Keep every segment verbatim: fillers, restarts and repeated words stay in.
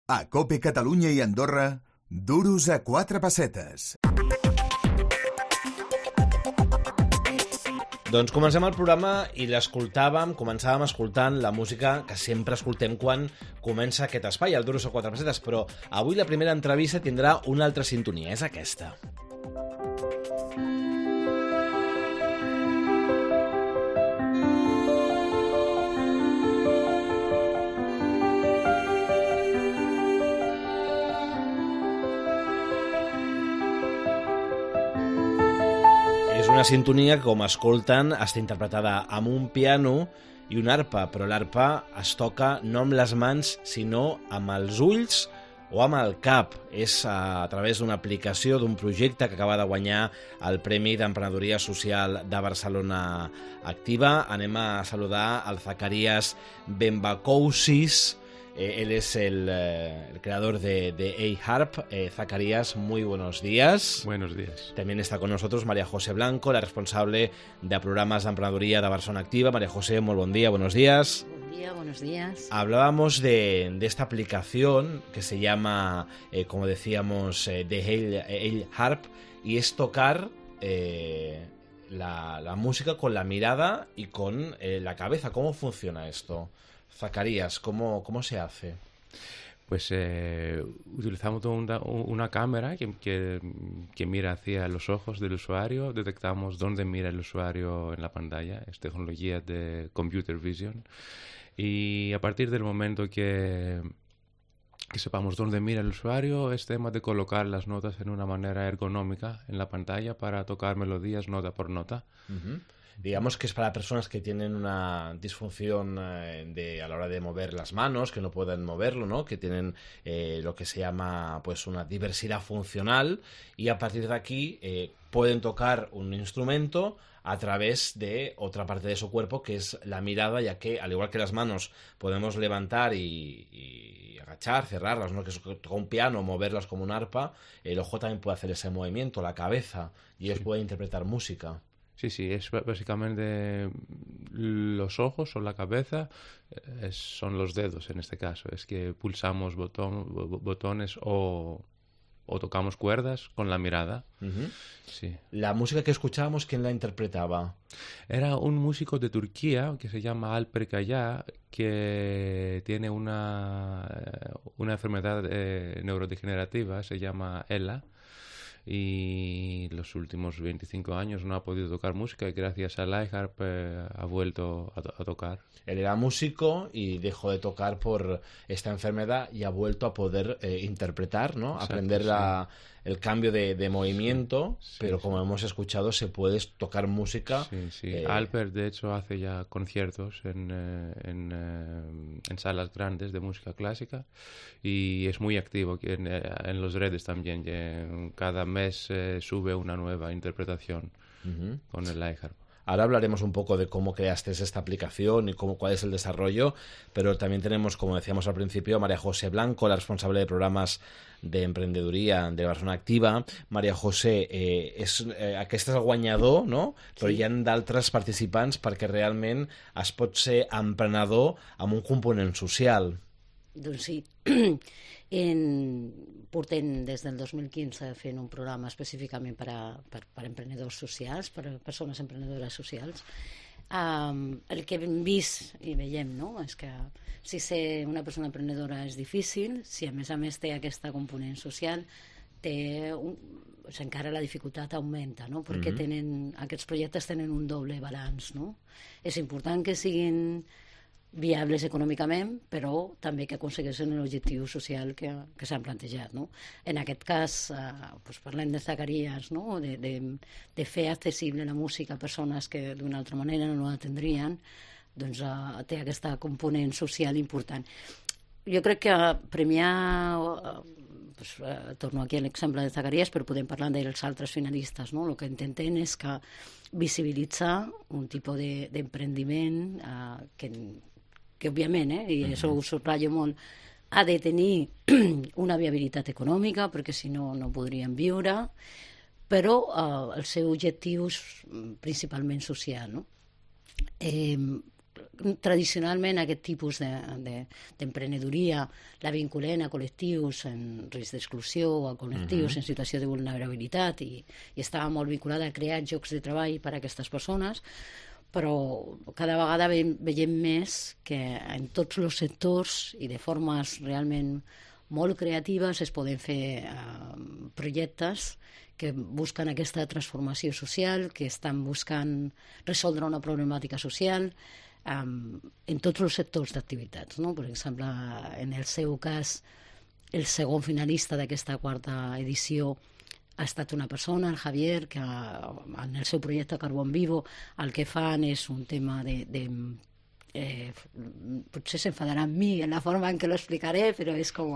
A COPE Catalunya i Andorra, duros a quatre pessetes. Doncs comencem el programa i l'escoltàvem, començàvem escoltant la música que sempre escoltem quan comença aquest espai, el Duros a quatre pessetes, però avui la primera entrevista tindrà una altra sintonia, és aquesta. Una sintonia que, com escolten, està interpretada amb un piano i una arpa, però l'arpa es toca no amb les mans, sinó amb els ulls o amb el cap. És a través d'una aplicació, d'un projecte que acaba de guanyar el Premi d'Emprenedoria Social de Barcelona Activa. Anem a saludar al Zacarías Bembakousis. Eh, él es el, eh, el creador de, de A-Harp. Eh, Zacarías, muy buenos días. Buenos días. También está con nosotros María José Blanco, la responsable de programas de emprenedoría de Barcelona Activa. María José, muy buen día, buenos días. Buen día, buenos días. Hablábamos de, de esta aplicación que se llama, eh, como decíamos, eh, de A-Harp, y es tocar eh, la, la música con la mirada y con eh, la cabeza. ¿Cómo funciona esto? Zacarías, ¿cómo, cómo se hace? Pues eh, utilizamos una, una cámara que, que, que mira hacia los ojos del usuario, detectamos dónde mira el usuario en la pantalla, es tecnología de computer vision, y a partir del momento que, que sepamos dónde mira el usuario, es tema de colocar las notas en una manera ergonómica en la pantalla para tocar melodías nota por nota. Uh-huh. Digamos que es para personas que tienen una disfunción eh, de, a la hora de mover las manos, que no pueden moverlo, ¿no? Que tienen eh, lo que se llama pues una diversidad funcional, y a partir de aquí eh, pueden tocar un instrumento a través de otra parte de su cuerpo, que es la mirada, ya que al igual que las manos podemos levantar y, y agachar, cerrarlas, ¿no? Que es tocar un piano, moverlas como un arpa, el ojo también puede hacer ese movimiento, la cabeza, y ellos sí pueden interpretar música. Sí, sí, es básicamente los ojos o la cabeza, es, son los dedos en este caso. Es que pulsamos botón, botones o, o tocamos cuerdas con la mirada. Uh-huh. Sí. La música que escuchábamos, ¿quién la interpretaba? Era un músico de Turquía que se llama Alper Kaya, que tiene una, una enfermedad eh, neurodegenerativa, se llama E L A. Y los últimos veinticinco años no ha podido tocar música y gracias al A-Harp eh, ha vuelto a, to- a tocar. Él era músico y dejó de tocar por esta enfermedad y ha vuelto a poder eh, interpretar, ¿no? Exacto, aprender sí. la, el cambio de, de movimiento, sí, pero sí, como sí. hemos escuchado se puede tocar música. Sí, sí. Eh... Alper de hecho hace ya conciertos en, eh, en, eh, en salas grandes de música clásica y es muy activo en, en los redes también. Cada mes eh, sube una nueva interpretación uh-huh. con el A-Harp. Ahora hablaremos un poco de cómo creaste esta aplicación y cómo, cuál es el desarrollo, pero también tenemos, como decíamos al principio, a María José Blanco, la responsable de programas de emprendedoria de Barcelona Activa. María José, eh, és, eh, aquest és el guanyador, no? Però sí. Hi ha d'altres participants perquè realment es pot ser emprenedor amb un component social. Doncs sí. En, portem des del dos mil quinze fent un programa específicament per a, per, per a emprenedors socials, per a persones emprenedores socials. Um, el que hem vist i veiem, no?, és que si ser una persona emprenedora és difícil, si a més a més té aquesta component social, té un, o sigui, encara la dificultat augmenta, no?, perquè mm-hmm. tenen, aquests projectes tenen un doble balanç, no? És important que siguin viables econòmicament, però també que aconsegueixen l'objectiu social que, que s'han plantejat, no? En aquest cas, eh, doncs parlem de Zacarías, no? de, de, de fer accessible la música a persones que d'una altra manera no la tindrien, doncs eh, té aquesta component social important. Jo crec que premiar, eh, doncs, eh, torno aquí a l'exemple de Zacarías, però podem parlar dels altres finalistes, no? El que intenten és que visibilitzar un tipus de, d'emprendiment eh, que que òbviament, eh, i això ho subratllo molt, ha de tenir una viabilitat econòmica, perquè si no, no podrien viure, però eh, el seu objectiu és principalment social, no? Eh, tradicionalment aquest tipus d'emprenedoria de, de, la vinculen a col·lectius en risc d'exclusió o a col·lectius uh-huh. en situació de vulnerabilitat i, i estava molt vinculada a crear llocs de treball per a aquestes persones, però cada vegada ve, veiem més que en tots els sectors i de formes realment molt creatives es poden fer uh, projectes que busquen aquesta transformació social, que estan buscant resoldre una problemàtica social um, en tots els sectors d'activitats, no? Per exemple, en el seu cas, el segon finalista d'aquesta quarta edició ha estat una persona, el Javier, que en el seu projecte Carbón Vivo el que fan és un tema de... de eh, potser s'enfadarà amb mi en la forma en què lo explicaré, però és com...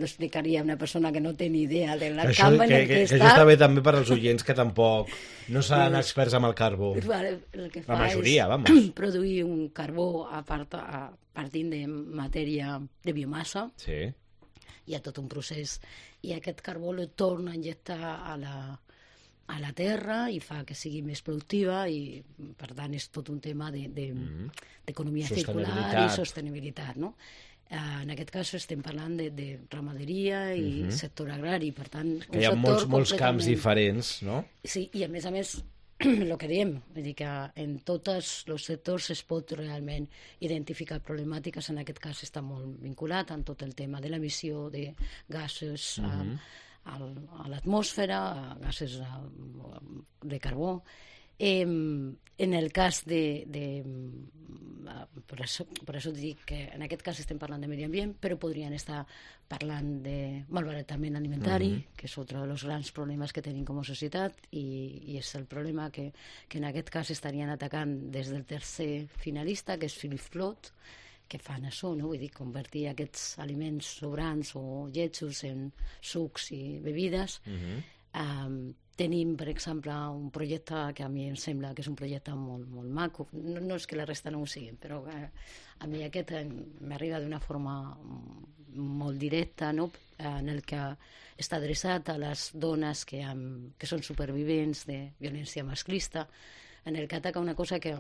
lo explicaria una persona que no té ni idea del camp en el que, que està. Que això està bé també per als oients que tampoc no seran experts amb el carbó. Vale, el que fa la majoria, és vamos. Produir un carbó a, part, a partint de matèria de biomassa. Sí. Hi ha tot un procés. I aquest carbó lo torna a injectar a la, a la terra i fa que sigui més productiva i, per tant, és tot un tema d'economia de, de, mm. circular i sostenibilitat, no? En aquest cas estem parlant de, de ramaderia i uh-huh. sector agrari, per tant... Que hi ha molts, molts camps diferents, no? Sí, i a més a més, el que diem, vull dir que en tots els sectors es pot realment identificar problemàtiques, en aquest cas està molt vinculat amb tot el tema de l'emissió de gasos uh-huh. a, a, a l'atmosfera, gasos a, de carbó. Eh, en el cas de... de per, això, per això dic que en aquest cas estem parlant de medi ambient, però podrien estar parlant de malbaratament alimentari, uh-huh. que és un dels grans problemes que tenim com a societat, i, i és el problema que, que en aquest cas estarien atacant des del tercer finalista, que és Philip Flood, que fan això, no? Vull dir, convertir aquests aliments sobrants o lletjos en sucs i bebides. Uh-huh. Um, tenim, per exemple, un projecte que a mi em sembla que és un projecte molt, molt maco. No, no és que la resta no ho siguin, però a mi aquest m'arriba d'una forma molt directa, no? En el que està adreçat a les dones que, han, que són supervivents de violència masclista, en el que ataca una cosa que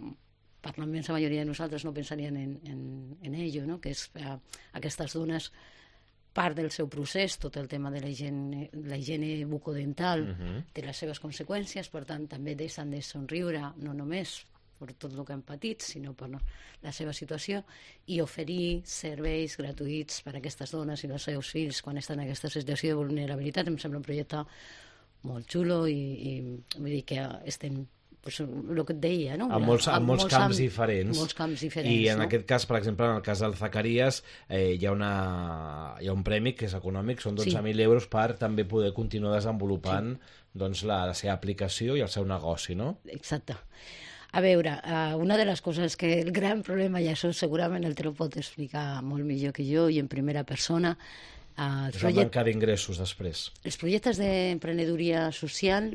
per la immensa majoria de nosaltres no pensarien en, en, en ello, no? Que és eh, aquestes dones, part del seu procés, tot el tema de la higiene, la higiene bucodental, uh-huh. té les seves conseqüències, per tant, també deixen de somriure, no només per tot el que han patit, sinó per la seva situació, i oferir serveis gratuïts per a aquestes dones i els seus fills quan estan en aquesta situació de vulnerabilitat. Em sembla un projecte molt xulo i, i vull dir que estem... Pues, el que et deia, no? En molts, en molts, molts camps, amb, diferents. molts camps diferents. I en no? aquest cas, per exemple, en el cas del Zacarías, eh, hi, ha una, hi ha un premi que és econòmic, són dotze mil sí. euros per també poder continuar desenvolupant sí. doncs, la, la seva aplicació i el seu negoci, no? Exacte. A veure, uh, una de les coses que el gran problema, i això segurament el te lo pot explicar molt millor que jo i en primera persona, uh, és la manca d'ingressos després. Els projectes d'emprenedoria social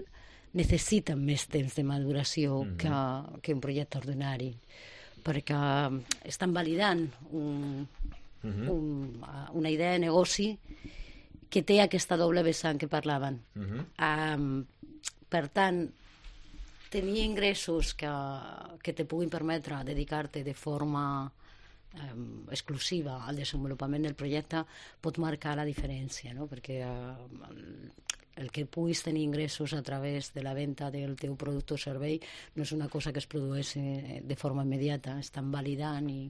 necessiten més temps de maduració mm-hmm. que, que un projecte ordinari, perquè estan validant un, mm-hmm. un, una idea de negoci que té aquesta doble vessant que parlaven. Mm-hmm. Um, per tant, tenir ingressos que, que te puguin permetre dedicar-te de forma um, exclusiva al desenvolupament del projecte pot marcar la diferència, no? Perquè uh, el que puguis tenir ingressos a través de la venda del teu producte o servei no és una cosa que es produeix de forma immediata, estan validant i,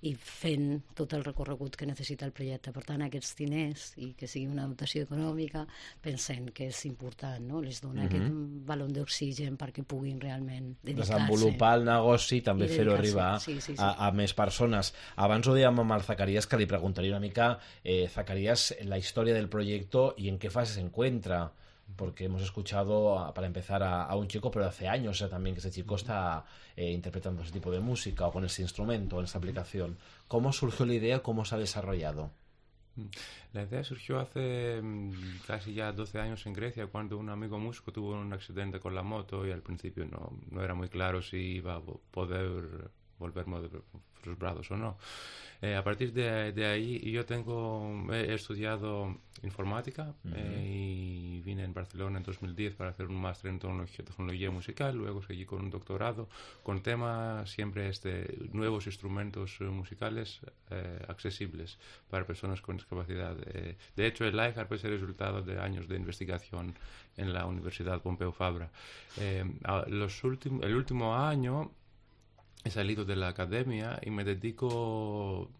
i fent tot el recorregut que necessita el projecte. Per tant, aquests diners i que sigui una dotació econòmica, pensem que és important, no? Les dona uh-huh. aquest balon d'oxigen perquè puguin realment dedicar-se. Desenvolupar el negoci, també fer-ho arribar sí, sí, sí. A, a més persones. Abans ho dèiem amb el Zacarías, que li preguntaria una mica, eh, Zacarías, la història del projecte i en què fase se encuentra. Porque hemos escuchado, para empezar, a, a un chico, pero hace años eh, también que ese chico está eh, interpretando ese tipo de música o con ese instrumento, en esa aplicación. ¿Cómo surgió la idea? ¿Cómo se ha desarrollado? La idea surgió hace casi ya doce años en Grecia, cuando un amigo músico tuvo un accidente con la moto y al principio no, no era muy claro si iba a poder volver los brazos o no. Eh, a partir de, de ahí yo tengo he estudiado informática uh-huh. eh, y vine en Barcelona en dos mil diez para hacer un máster en tecnología, tecnología musical, luego seguí con un doctorado con tema siempre este, nuevos instrumentos musicales eh, accesibles para personas con discapacidad. Eh, de hecho, el iHarp es el resultado de años de investigación en la Universidad Pompeu Fabra. Eh, los últimos, el último año he salido de la academia y me dedico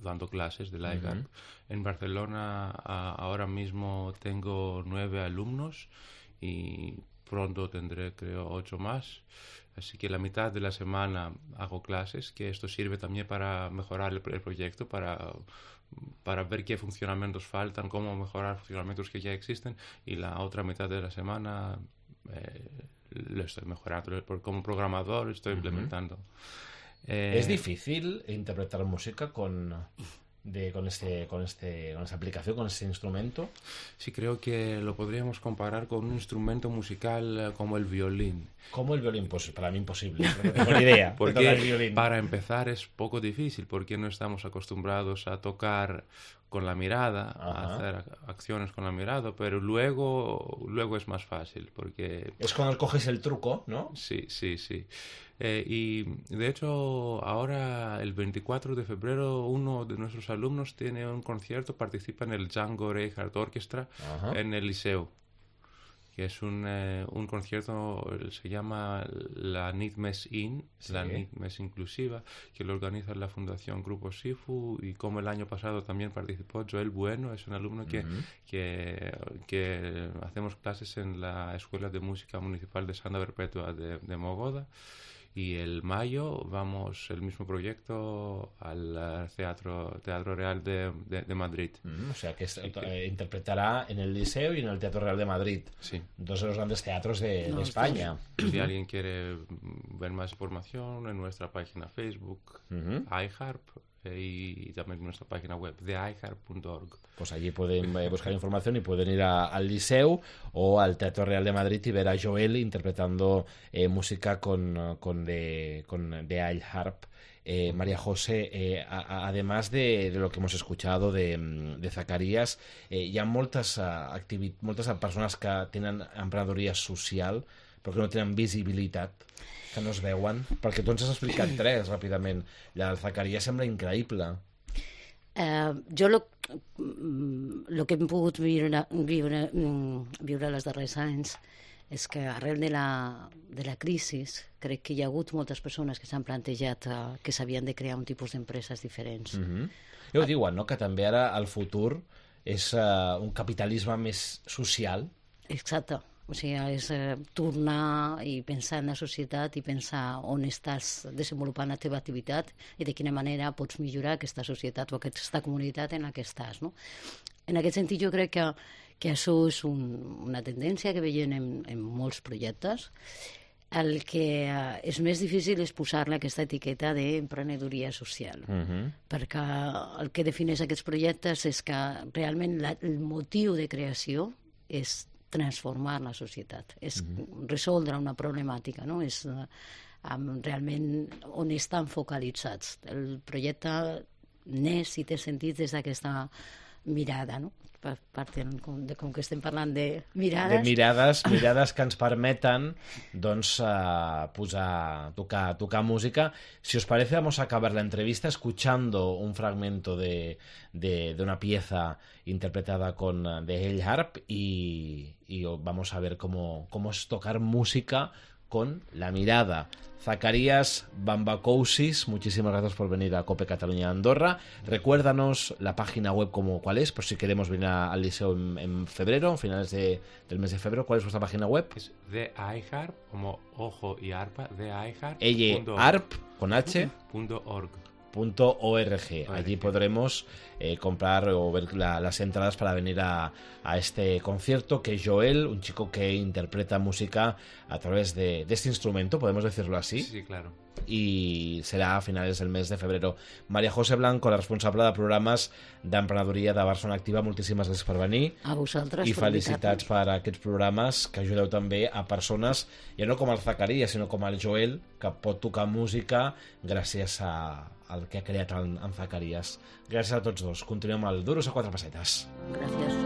dando clases de iHarp. Uh-huh. En Barcelona a, ahora mismo tengo nueve alumnos y pronto tendré, creo, ocho más. Así que la mitad de la semana hago clases, que esto sirve también para mejorar el, el proyecto, para, para ver qué funcionamientos faltan, cómo mejorar funcionamientos que ya existen, y la otra mitad de la semana eh, lo estoy mejorando. Como programador estoy uh-huh. implementando. Eh, ¿Es difícil interpretar música con, de, con, este, con, este, con esta aplicación, con este instrumento? Sí, creo que lo podríamos comparar con un instrumento musical como el violín. ¿Cómo el violín? Pues para mí imposible, no tengo ni idea. Porque el violín. Para empezar es poco difícil, porque no estamos acostumbrados a tocar con la mirada, Ajá. a hacer acciones con la mirada, pero luego, luego es más fácil, porque... Es cuando coges el truco, ¿no? Sí, sí, sí. Eh, y de hecho ahora el veinticuatro de febrero uno de nuestros alumnos tiene un concierto, participa en el Django Reinhardt Orchestra Ajá. en el Liceu, que es un, eh, un concierto, se llama la Nit Més In, sí. la Nit Més Inclusiva, que lo organiza la Fundación Grupo Sifu, y como el año pasado también participó Joel Bueno, es un alumno que, uh-huh. que, que hacemos clases en la Escuela de Música Municipal de Santa Perpetua de, de Mogoda. Y el mayo vamos el mismo proyecto al Teatro, Teatro Real de, de, de Madrid. Mm, o sea que, es, eh, interpretará en el Liceo y en el Teatro Real de Madrid. Sí. Dos de los grandes teatros de, no, de España. Si alguien quiere ver más información, en nuestra página Facebook, uh-huh. iHarp, y también en nuestra página web de i harp punto org. Pues allí pueden eh, buscar información y pueden ir a, al Liceu o al Teatro Real de Madrid y ver a Joel interpretando eh, música con, con de, con de iHarp. Eh, María José, eh, a, a, además de, de lo que hemos escuchado de, de Zacarías, eh, hi ha moltes, uh, activi- moltes persones que tenen emprenedoria social però que no tenen visibilitat, que no es veuen, perquè tu ens has explicat tres ràpidament. La del Zacarías sembla increïble. Uh, jo lo, lo que hem pogut viure, viure, viure els darrers anys és que arrel de la, de la crisi crec que hi ha hagut moltes persones que s'han plantejat uh, que s'havien de crear un tipus d'empreses diferents. Mm-hmm. Ja ho diuen, no? Que també ara el futur és uh, un capitalisme més social. Exacte. O sigui, és eh, tornar i pensar en la societat i pensar on estàs desenvolupant la teva activitat i de quina manera pots millorar aquesta societat o aquesta comunitat en la que estàs, no? En aquest sentit, jo crec que, que això és un, una tendència que veiem en, en molts projectes. El que eh, és més difícil és posar-li aquesta etiqueta d'emprenedoria social, uh-huh. perquè el que defineix aquests projectes és que realment la, el motiu de creació és transformar la societat, és uh-huh. resoldre una problemàtica, no? És uh, um, realment on estan focalitzats. El projecte neix i té sentit des d'aquesta mirada, no? Per part de, de com que estem parlant de mirades. De mirades, mirades que ens permeten doncs uh, posar, tocar, tocar música. Si os parece, vamos a acabar la entrevista escuchando un fragmento de, de, de una pieza interpretada con de iHarp y, y vamos a ver cómo, cómo es tocar música con la mirada. Zacarías Bambacousis, muchísimas gracias por venir a Cope Cataluña Andorra. Recuérdanos la página web como cuál es, por si queremos venir a, al liceo en, en febrero, a finales de, del mes de febrero. ¿Cuál es vuestra página web? Es de iHarp, como ojo y arpa, de iHarp. Ella, arp, con H. Punto org. Punto org. Allí podremos eh, comprar o ver la, las entradas para venir a, a este concierto que Joel, un chico que interpreta música a través de, de este instrumento, podemos decirlo así. Sí, claro. I serà a finals del mes de febrero. María José Blanco, la responsable de programes d'emprenedoria de Barcelona Activa, moltíssimes gràcies per venir. A vosaltres. I felicitats per aquests programes que ajudeu també a persones, ja no com el Zacarías, sinó com el Joel, que pot tocar música gràcies a, al que ha creat en, en Zacarías. Gràcies a tots dos. Continuem al Duros a quatre pessetes. Gràcies.